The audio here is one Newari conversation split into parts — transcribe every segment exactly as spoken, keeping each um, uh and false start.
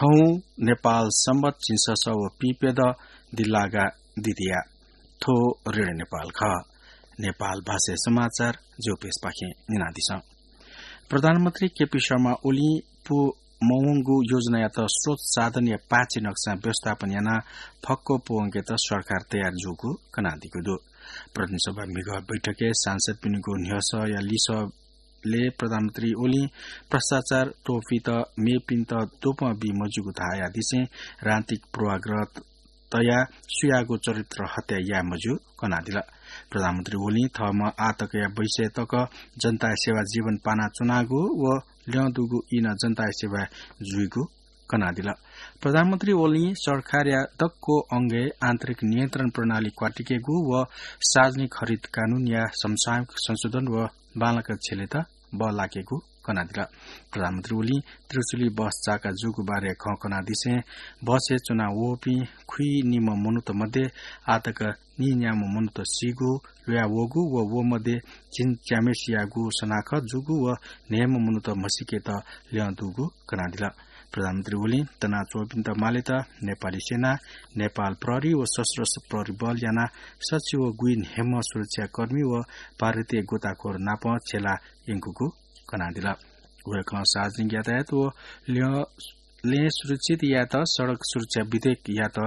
हौं नेपाल संवत झिंछसः व पीप्यदँ दिल्लागा दिदिया। थ्व रेडियो नेपाल खः। नेपाल भाषाया समाचार ज्योपेशपाखें न्यनादिसँ। प्रधानमन्त्री केपी शर्मा ओलीं पू मवंगु योजनायात स्रोत साधनया पाँचि नक्सा व्यवस्थापन यानाः फक्व पूवंकेत सरकार तयार जूगु कनादीगु दु। प्रतिनिधि सभा म्हिगः बैठकय् सांसदपिनिगु न्ह्यसःया लिसः ले प्रधानमन्त्री ओलीं भ्रष्टाचार त्वःफित मेपिन्त द्वपं बी मज्यूगु धाःयादिसें राजनीतिक पूर्वाग्रह तयाः सुयागु चरित्र हत्या याये मज्यू कनादिल। प्रधानमन्त्री ओलीं थःम्हं आःतकया बैसय् तक जनताया सेवा जीवन पानाच्वनागु व ल्यं दुगु ई नं जनताया सेवा जुइगु कनादिल। प्रधानमन्त्री ओलीं सरकारया दक्व अंगय् आन्तरिक नियन्त्रण प्रणाली क्वातिकेगु व सार्वजनिक हरित कानूनया समसामयिक संशोधन व बांलाक छ्यलेत बः लाकेगु कनादिल। प्रधानमन्त्री ओलीं त्रिशुली बस चाका जूगु बारे खँ कनादिसें बसय् च्वना वःपिं खुइनिम्ह मनूत मध्ये आःतक नीन्याम्ह मनूत सीगु, ल्वया वःगु व व मध्ये झिंच्याम्हेसियागु सनाखत जूगु व न्हय्म्ह मनूत म्हसीकेत ल्यं दुगु कनादिल। प्रधानमन्त्री ओलीं तनाच्वंपिन्त मालेत नेपाली सेना, नेपाल प्रहरी व सशस्त्र प्रहरी बल यानाः सच्छि व गुइन्हय्म्ह सुरक्षाकर्मी व भारतीय गोताखोर नाप छ्यला यंकूगु कनादिल। वय्कलं सार्वजनिक यातायात व ल्यं, लँय् सुरक्षित यायेत सडक सुरक्षा विधेयकयात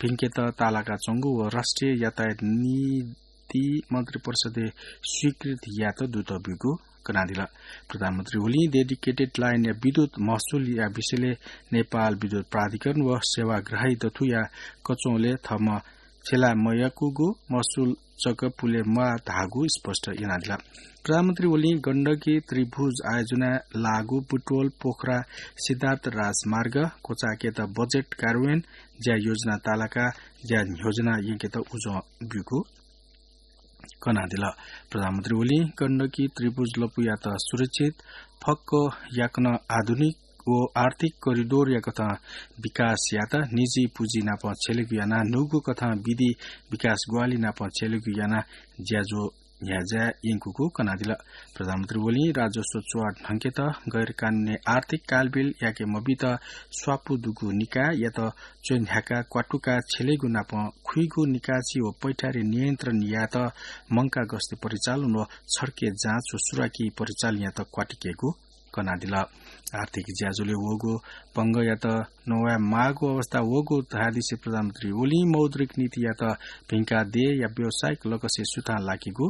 भिंकेत तालाकाच्वंगु व राष्ट्रिय यातायात नीति मन्त्रिपरिषदय् स्वीकृत यायेत दुत ब्यूगु कनादिल। प्रधानमन्त्री ओलीं डेडिकेटेड लाइनया विद्युत महसुलया विषयले नेपाल विद्युत प्राधिकरण व सेवाग्राही दथुया कच्वंलय् थःम्हं छ्यला मयकूगु महसुल जक पुले म्वाः धाःगु स्पष्ट यानादिल। प्रधानमन्त्री ओलीं गण्डकी त्रिभुज आयोजनाय् लाःगु बुटवल पोखरा सिद्धार्थ राजमार्ग क्वचायेकेत बजेट कार्यान्वयन ज्या योजना तालाका ज्या न्ह्यज्वना यंकेत उजं ब्यूगु कनादिल। प्रधानमन्त्री ओलीं गण्डकी त्रिभुज लपुयात सुरक्षित, फक्व याकनं आधुनिक व आर्थिक करिडोरया कथं विकास यात निजी पुँजी नाप छ्यलेगु यानाः न्हूगु कथं विधि विकास ग्वाहालि नाप छ्यलेगु यानाः ज्याझ्वः न्ह्याज्याय् यंकूगु कनादिल। प्रधानमन्त्री ओलीं राजस्व च्वहां ढंकेत गैर कानूनी आर्थिक कालबिल याके मबीत स्वापू दुगु निकाययात च्वय् न्ह्याकाः क्वातुकाः छ्यलेगु नाप खुइगु निकासी व पैठारी नियन्त्रण यायेत मंकाः गस्ती परिचालन व छड्के जाँच व सुराकी परिचालनयात क्वातिकेगु कनादिल। आर्थिक ज्याझ्वलय् वःगु पंगःयात नवाये माःगु अवस्था वःगु धयादिसें प्रधानमन्त्री ओलीं मौद्रिक नीतियात भिंकाः देय्‌या व्यावसायिक लकसय् सुथां लाकेगु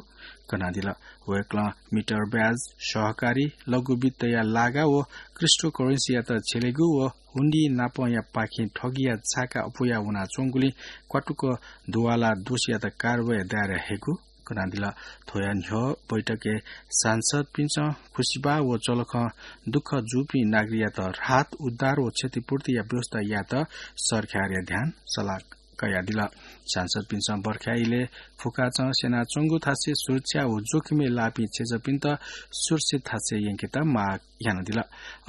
कनादिल। वय्‌कलं मिटर ब्याज, सहकारी, लघु वित्तया लागा व क्रिप्टोकरेन्सीयात छ्यलेगु व हुन्डी नापंयापाखें ठगीया छाका अप्वया वनाच्वंगुलिं क्वातुक दुवाला दोषीयात कारवाही दायरा हयेगु कनादिल। थ्वया न्ह्यः बैठकय् सांसदपिन्सं खुसिबाः व चलखं दुःख जूपिं नागरिकयात राहत, उद्धार व क्षतिपूर्तिया व्यवस्था यायेत सरकारया ध्यान सल्लाह कयादिल। सांसदपिन्सं बर्खा इलय् फुकाचं स्यनाच्वंगु थासय् सुरक्षा व जोखिमय् लाःपिं छेँजःपिन्त सुरक्षित थासय् यंकेत माग यानादिल।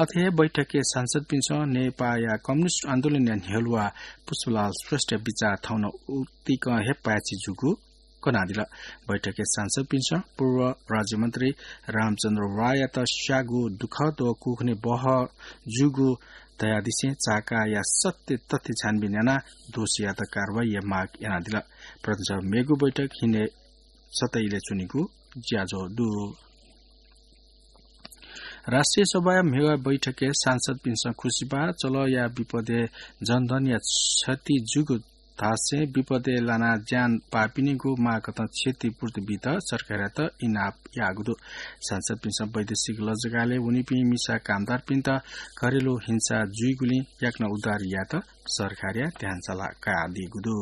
अथे हे बैठकय् सांसदपिन्सं नेपाःया कम्युनिस्ट आन्दोलनया न्ह्यलुवा पुष्पलाल श्रेष्ठया बिचाः थौं नं उतिकं हे पाय्‌छि जूगु कनादिल। बैठकय् सांसदपिन्सं पूर्व राज्यमन्त्री रामचन्द्र राययात स्याःगु दुःखद व कुखुने बहः जूगु धयादिसें चाकाया सत्य तथ्य छानबिन यानाः दोषीयात कारवाहीया माग यानादिल। प्रतिनिधि सभा मेगु बैठक हिने सतैले च्वनीगु ज्याझ्वः दु। राष्ट्रिय सभाया म्हिगः बैठकय् सांसदपिन्सं खुसिबाः चलःया विपदय् जनधनया क्षति जूगु धासें विपदय् लानाः ज्यान पाःपिनिगु माःकथं क्षतिपूर्ति बीत सरकारयात इनाप याःगु दु। सांसदपिन्सं वैदेशिक लजगालय् वनीपिं मिसा कामदारपिन्त घरेलु हिंसा जुइगुलिं याकनं उद्धार यायेत सरकारया ध्यान सल्लाह कयादीगु दु।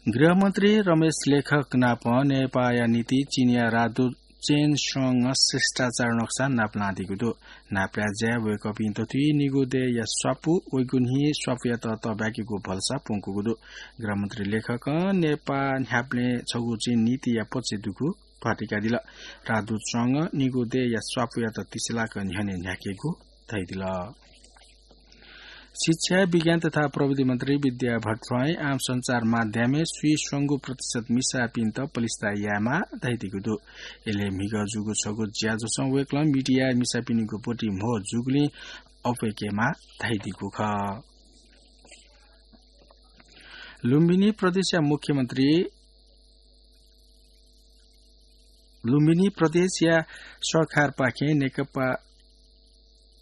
गृहमन्त्री रमेश लेखक नाप नेपाःया निंतिं चीनया राजदूत चेन स्वंगं शिष्टाचार नक्सा नापलानादीगु दु। नापलाये ज्याय् वय्‌कःपिं दथुइ निगू देय्‌या स्वापू, वइगु न्हि स्वापूयात तःब्याकेगु भलसा प्वंकूगु दु। गृहमन्त्री लेखकं नेपाः न्ह्याबलें छगू चीन निंतिंया पक्षय् दुगु भतिकादिल। राजदूत स्वंगं निगू देय्‌या स्वापूयात तिसिलाक न्ह्यःने न्ह्याकेगु धयादिल। शिक्षा, विज्ञान तथा प्रविधि मन्त्री विद्या भट्टराईं आम सञ्चार माध्यमय् स्वीस्वंगू प्रतिशत मिसापिन्त पलिस्था यायेमाः धयादीगु दु। इलय् म्हिगः जूगु छगू ज्याझ्वलं वय्कलं मिडियाय् मिसापिनिगु ब्वति म्हो जूगुलिं अप्वय्केमाः धयादीगु खः। लुम्बिनी प्रदेशया मुख्यमन्त्री लुम्बिनी प्रदेशया सरकारपाखें नेकपा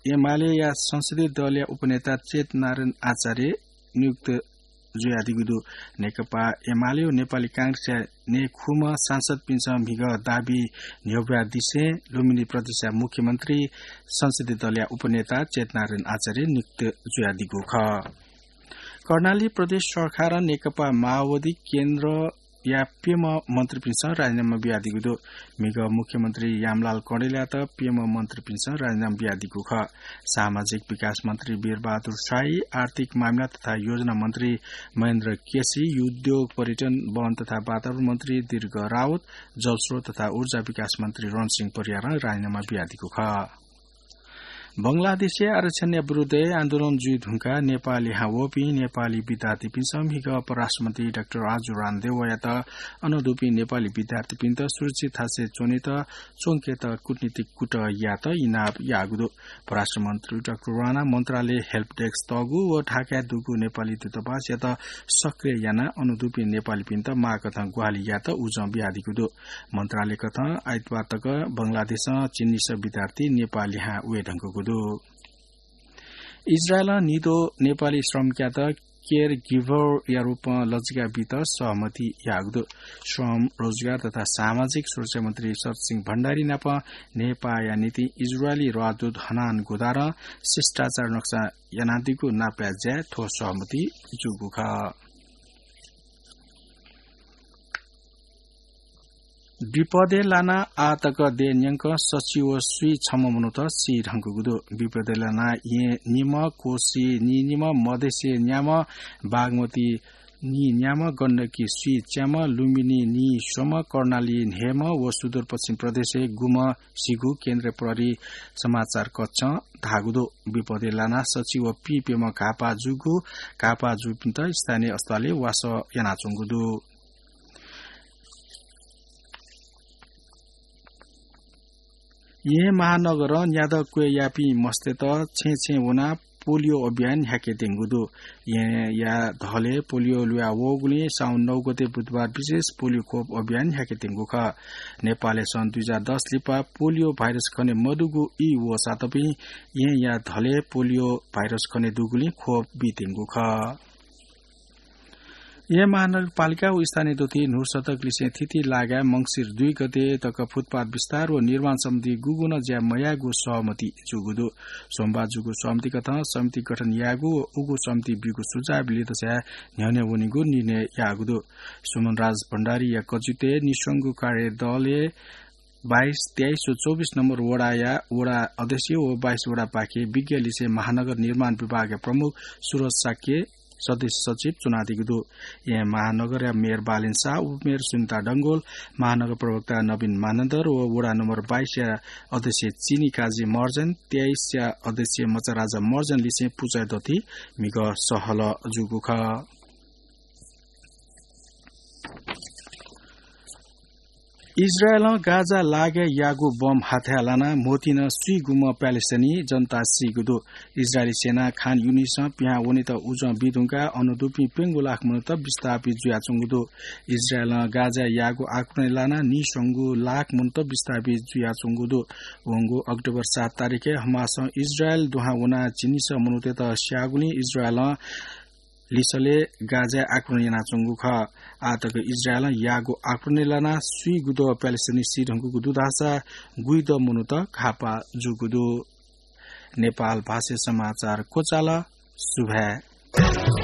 एमालेया संसदीय दलया उपनेता चेतनारायण आचार्य नियुक्त जुयादीगु दु। नेकपा एमाले व नेपाली कांग्रेसया नयेखुम्ह सांसदपिन्सं म्हिगः दाबी न्ह्यब्वयादिसें लुम्बिनी प्रदेशया मुख्यमन्त्री संसदीय दलया उपनेता चेतनारायण आचार्य नियुक्त जुयादीगु खः। कर्णाली प्रदेश सरकारं नेकपा माओवादी केन्द्रया प्यम्ह मन्त्रीपिन्सं राजीनामा बियादीगु दु। म्हिगः मुख्यमन्त्री यामलाल कँडेलयात प्यम्ह मन्त्रीपिन्सं राजीनामा बियादीगु खः। सामाजिक विकास मन्त्री वीरबहादुर शाही, आर्थिक मामिला तथा योजना मन्त्री महेन्द्र केसी, उद्योग, पर्यटन, वन तथा वातावरण मन्त्री दीर्घ रावत, जलस्रोत तथा ऊर्जा विकास मन्त्री रणसिंह परियारं राजीनामा बियादीगु खः। बंगलादेशय् आरक्षणया विरुद्धय् आन्दोलन जुइ धुंकाः नेपाः लिहां वःपिं नेपाली विद्यार्थीपिन्सं म्हिगः परराष्ट्रमन्त्री डाक्टर राजु राणाद्यःयात अन दुपिं नेपाली विद्यार्थीपिन्त सुरक्षित थासय् च्वनेत च्वंकेत कूटनीतिक कुतः यायेत इनाप याःगु दु। परराष्ट्रमन्त्री डाक्टर राणा मन्त्रालय हेल्प डेस्क तःगु व ढाकाय् दुगु नेपाली दूतावासयात सक्रिय यानाः अन दुपिं नेपालीपिन्त माःकथं ग्वाहालि यायेत उजं बियादीगु दु। मन्त्रालयकथं आइतबार तक बंगलादेशं झिंनिसः विद्यार्थी नेपाः लिहां वये धुंकूगु दु। इजरायलं निद्वः नेपाली श्रमिकयात केयर गिभरया रूपं लजिका बीत सहमति याःगु दु। श्रम, रोजगार तथा सामाजिक सुरक्षा मन्त्री शरदसिंह भण्डारी नाप नेपाःया निंतिं इजरायली राजदूत हनान गोदारं शिष्टाचार नक्सा यानादीगु नापया ज्याय् थ्व सहमति जूगु खः। विपदय् लानाः आः तक देय् न्यंकं सछि व स्वीछम्ह मनूत सी धुंकूगु दु। विपदय् लानाः येँ निम्ह, कोशी नीनिम्ह, मधेशय् न्याम्ह, बागमती नीन्याम्ह, गण्डकी स्वीच्याम्ह, लुम्बिनी नीस्वम्ह, कर्णाली न्हय्म्ह व सुदूरपश्चिम प्रदेशय् गुम्ह सीगु केन्द्रीय प्रहरी समाचार कक्षं धाःगु दु। विपदय् लानाः सछि व पीप्यम्ह घाःपाः जूगु, घाःपाः जूपिन्त स्थानीय अस्पतालय् वासः यानाच्वंगु दु। येँ महानगरं न्यादँ क्वय् याःपिं मस्तय्त छेँय् छेँय् वनाः पोलियो अभियान न्ह्याकेत्यंगु दु। येँया धलय् पोलियो लुया वःगुलिं साउन नौ गते बुधबार विशेष पोलियो खोप अभियान न्ह्याकेत्यंगु खः। नेपालय् सन् दुई हजार दस लिपा पोलियो भाइरस खने मदुगु ई वःसातपिं येँया धलय् पोलियो भाइरस खने दुगुलिं खोप बीत्यंगु खः। येँ महानगरपालिका व स्थानीय दथुइ न्हू शतक लिसें थीथी लागाय् मंसिर दुई गते तक फुटपाथ विस्तार व निर्माण सम्बन्धी गुगुं नं ज्या मयायेगु सहमति जूगु दु। सोमबार जूगु सहमतिकथं समिति गठन यायेगु व उगु समितिं बीगु सुझाव लित स्वयाः न्ह्यःने वनेगु निर्णय याःगु दु। सुमनराज भण्डारीया कचित्वय् निस्वंगु कार्यदलय् बाइस, तेइस व चौबिस नम्बर वडाया वडा अध्यक्ष व बाइस वडापाखे विज्ञ लिसें महानगर निर्माण विभागया प्रमुख सुरज शाक्य सदस्य सचिव च्वनादीगु दु। येँ महानगरया मेयर बालेन शाह, उपमेयर सुनिता डंगोल, महानगर प्रवक्ता नवीन मानन्धर व वडा नम्बर बाइसया अध्यक्ष चिनी काजी महर्जन, तेइसया अध्यक्ष मचाराजा महर्जन लिसें पुचःया दथुइ म्हिगः सहलह जूगु खः। इजरायलं गाजा लागाय् याःगु बम हाथाय् लानाः म्होतिं स्वीगुम्ह प्यालेस्टाइनी जनता सीगु दु। इजरायली सेनां खान युनिसं पिहां वनेत उजं बी धुंकाः अन दुपिं प्यंगू लाख मनूत विस्थापित जुयाच्वंगु दु। इजरायलं गाजाय् याःगु आक्रमणय् लानाः नीस्वंगू लाख मनूत विस्थापित जुयाच्वंगु दु। वंगु अक्टोबर सात तारिखय् हमासं इजरायल दुहां वनाः झिंनिसः मनूतय्त स्याःगुलिं इजरायलं लिसलय् गाजाय् आक्रमण यानाच्वंगु खः। आः तक इजरायलं याःगु आक्रमणय् लानाः स्वीगुद्वः प्यालेस्टाइनी सी धुंकूगु दु धाःसा गुइद्वः मनूत घाःपाः जूगु दु। नेपाल भाषाय् समाचार क्वचाल। सुभाय्।